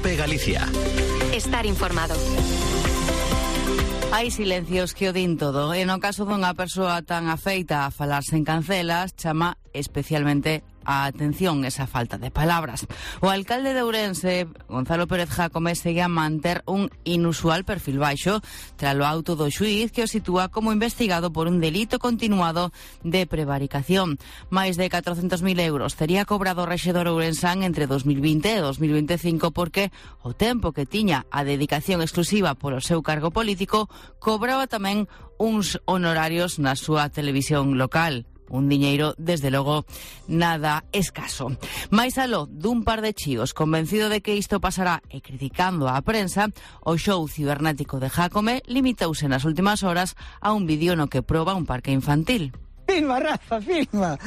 COPE Galicia. Estar informado. Hai silencios que o din todo. E no caso dunha persoa tan afeita a falar sen cancelas, chama especialmente a atención esa falta de palabras. O alcalde de Ourense, Gonzalo Pérez Jácome, segue a manter un inusual perfil baixo tras o auto do xuíz que o sitúa como investigado por un delito continuado de prevaricación. Máis de 400.000 euros tería cobrado o rexedor ourensán entre 2020 e 2025 porque o tempo que tiña a dedicación exclusiva polo seu cargo político cobraba tamén uns honorarios na súa televisión local. Un diñeiro, desde logo, nada escaso. Mais aló dun par de chíos convencido de que isto pasará e criticando a prensa, o show cibernético de Jácome limitouse nas últimas horas a un vídeo no que proba un parque infantil. Filma, Rafa, filma.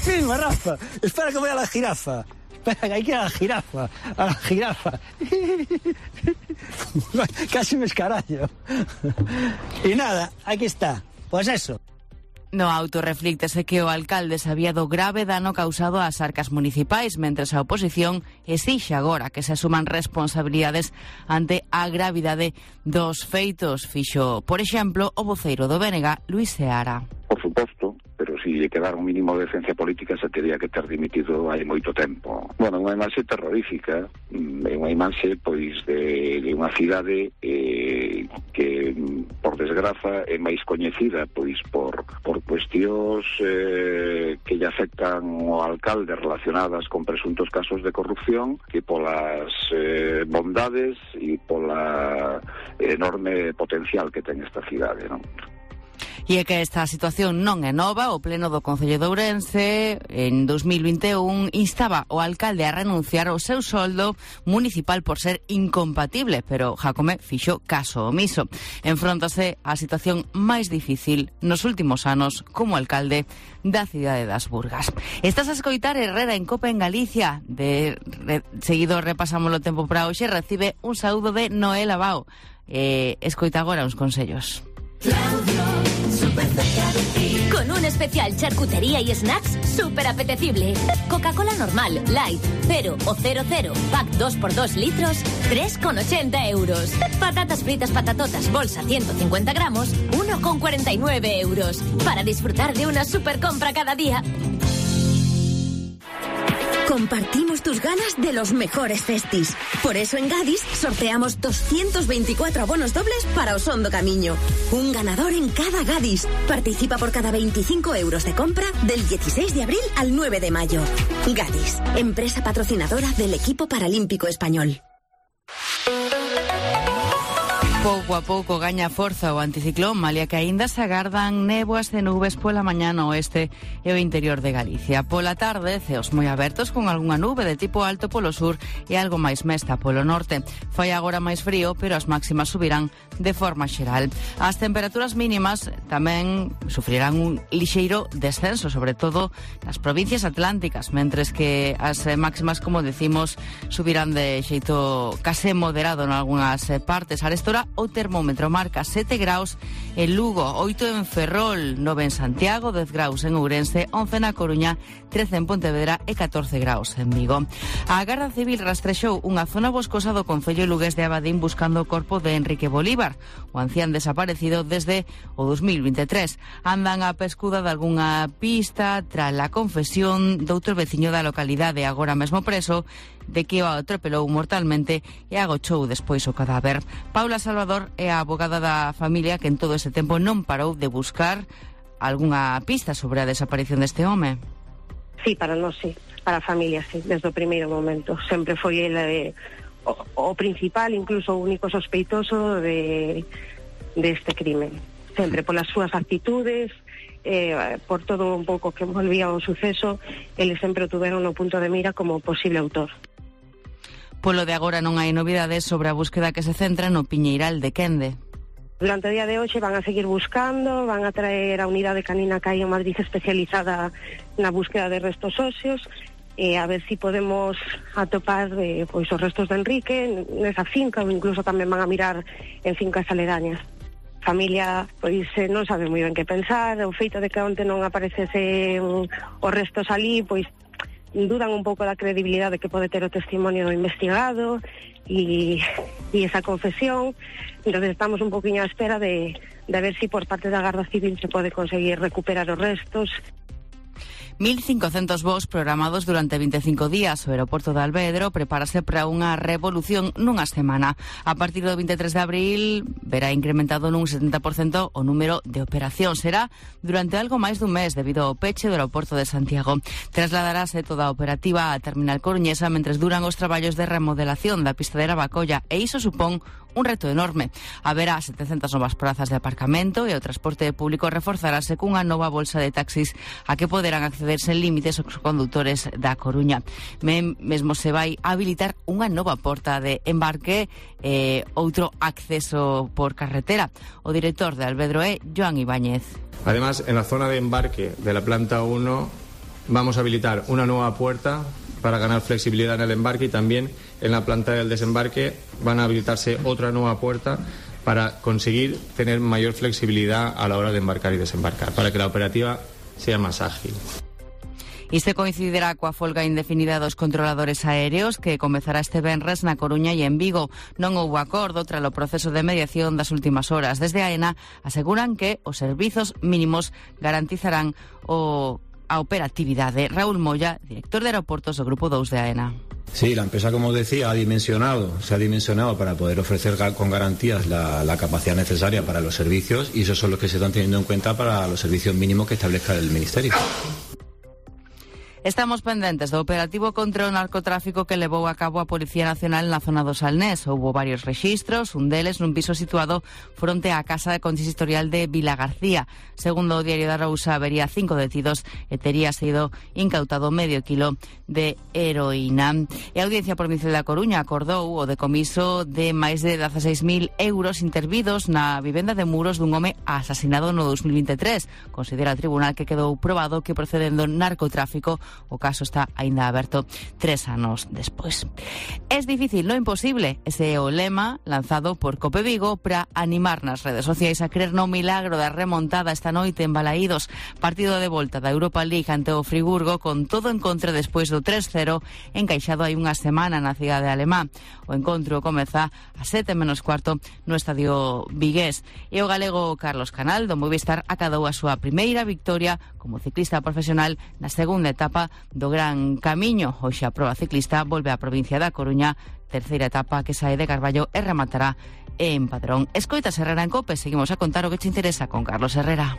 Filma, Rafa. Espera que voy a la jirafa. Espera, que hay que ir a la jirafa. Casi me escarallo. Y nada, aquí está. Pues eso. No auto reflíctese que o alcalde sabía do grave dano causado ás arcas municipais, mentres a oposición exixe agora que se asuman responsabilidades ante a gravidade dos feitos. Fixo, por exemplo, o voceiro do BNG, Luis Seara. Por suposto, pero si lle quedara un mínimo de decencia política se teria que ter dimitido hai moito tempo. Bueno, unha imaxe terrorífica, unha imaxe pois de unha cidade que por desgraza é máis coñecida pois por cuestións que lle afectan ao alcalde relacionadas con presuntos casos de corrupción que polas bondades e pola enorme potencial que ten esta cidade, non? E é que esta situación non é nova. O Pleno do Concello de Ourense en 2021 instaba o alcalde a renunciar ao seu soldo municipal por ser incompatible, pero Jácome fixo caso omiso. Enfróntase á situación máis difícil nos últimos anos como alcalde da cidade das Burgas. Estás a escoitar Herrera en Cope en Galicia. Seguido repasamos o tempo para hoxe. Recibe un saúdo de Noel Abao. Escoita agora uns consellos. Claudio, súper cerca de ti. Con un especial charcutería y snacks súper apetecible. Coca-Cola normal, light, 0 o 00, pack 2x2 litros, 3,80 euros. Patatas fritas patatotas, bolsa 150 gramos, 1,49 euros. Para disfrutar de una super compra cada día. Compartimos tus ganas de los mejores festis. Por eso en Gadis sorteamos 224 abonos dobles para Osondo Camiño. Un ganador en cada Gadis. Participa por cada 25 euros de compra del 16 de abril al 9 de mayo. Gadis, empresa patrocinadora del equipo paralímpico español. Pouco a pouco gaña forza o anticiclón, malia que aínda se agardan néboas e nubes pola mañá no oeste e o interior de Galicia. Pola tarde, ceos moi abertos con algunha nube de tipo alto polo sur e algo máis mesta polo norte. Fai agora máis frío, pero as máximas subirán de forma xeral. As temperaturas mínimas tamén sufrirán un lixeiro descenso, sobre todo nas provincias atlánticas, mentres que as máximas, como decimos, subirán de xeito case moderado en algunhas partes. Arestora o termómetro marca 7 graus en Lugo, 8 en Ferrol, 9 en Santiago, 10 graus en Ourense, 11 na Coruña, 13 en Pontevedra e 14 graus en Vigo. A Garda Civil rastrexou unha zona boscosa do concello lugués de Abadín buscando o corpo de Enrique Bolívar, o ancián desaparecido desde o 2023. Andan a pescuda de algunha pista tras a confesión doutro veciño da localidade, agora mesmo preso, de que o atropelou mortalmente e agochou despois o cadáver. Paula Salvador é a abogada da familia que en todo ese tempo non parou de buscar algunha pista sobre a desaparición deste home. Sí, para nós sí, para a familia sí, desde o primeiro momento. Sempre foi ele o principal, incluso o único sospeitoso de este crimen. Sempre polas súas actitudes, por todo un pouco que envolvía o suceso, eles sempre o tuveron no punto de mira como posible autor. Polo de agora non hai novidades sobre a búsqueda que se centra no Piñeiral de Quende. Durante o día de hoxe van a seguir buscando, van a traer a unidade canina que hai en Madrid especializada na búsqueda de restos óseos, a ver si podemos atopar pois os restos de Enrique nesa finca, ou incluso tamén van a mirar en fincas aledañas. A familia pois non sabe moi ben que pensar, o feito de que onte non aparecese os restos ali, pois dudan un pouco da credibilidade que pode ter o testimonio do investigado e esa confesión. Entonces estamos un poquinho á espera de ver si por parte da Garda Civil se pode conseguir recuperar os restos. 1.500 voos programados durante 25 días. O aeroporto de Alvedro prepárase para unha revolución nunha semana. A partir do 23 de abril verá incrementado nun 70% o número de operación. Será durante algo máis dun mes debido ao peche do aeroporto de Santiago. Trasladarase toda a operativa á terminal coruñesa mentres duran os traballos de remodelación da pista de Navacolla e iso supón un reto enorme. Haberá 700 novas prazas de aparcamento e o transporte público reforzarase cunha nova bolsa de taxis a que poderán acceder sen límites os condutores da Coruña. Mesmo se vai habilitar unha nova porta de embarque e outro acceso por carretera. O director de Alvedro é Joan Ibáñez. Además, en la zona de embarque de la planta 1 vamos a habilitar una nueva puerta para ganar flexibilidad en el embarque, y también en la planta del desembarque van a habilitarse otra nueva puerta para conseguir tener mayor flexibilidad a la hora de embarcar y desembarcar, para que la operativa sea más ágil. Isto coincidirá coa folga indefinida dos controladores aéreos que comezará este venres na Coruña e en Vigo. Non houbo acordo tras o proceso de mediación das últimas horas. Desde AENA aseguran que os servizos mínimos garantizarán a operatividade. Raúl Moya, director de aeroportos do Grupo 2 de AENA. Sí, la empresa, como decía, se ha dimensionado para poder ofrecer con garantías la capacidad necesaria para los servicios, y esos son los que se están teniendo en cuenta para los servicios mínimos que establezca el Ministerio. Estamos pendentes do operativo contra o narcotráfico que levou a cabo a Policía Nacional na zona do Salnés. Houbo varios rexistros, un deles nun piso situado fronte á casa consistorial de Vila García. Segundo o Diario da Arousa, habería 5 detidos e tería sido incautado medio kilo de heroína. E a Audiencia Provincial da Coruña acordou o decomiso de máis de 16.000 euros intervidos na vivenda de Muros dun home asasinado no 2023. Considera o tribunal que quedou probado que procedendo narcotráfico. O caso está aínda aberto 3 anos despois. Es difícil, no imposible. Ese é o lema lanzado por Cope Vigo para animar nas redes sociais a crer no milagro da remontada esta noite en Balaídos. Partido de volta da Europa League ante o Friburgo con todo en contra despois do 3-0 encaixado hai unha semana na cidade alemá. O encontro comeza a 7:15 no estadio vigués. E o galego Carlos Canal do Movistar acadou a súa primeira victoria como ciclista profesional na segunda etapa do Gran Camiño. Hoxe a proba ciclista volve á provincia da Coruña, terceira etapa que sae de Carballo e rematará en Padrón. Escoitas Herrera en Cope, seguimos a contar o que te interesa con Carlos Herrera.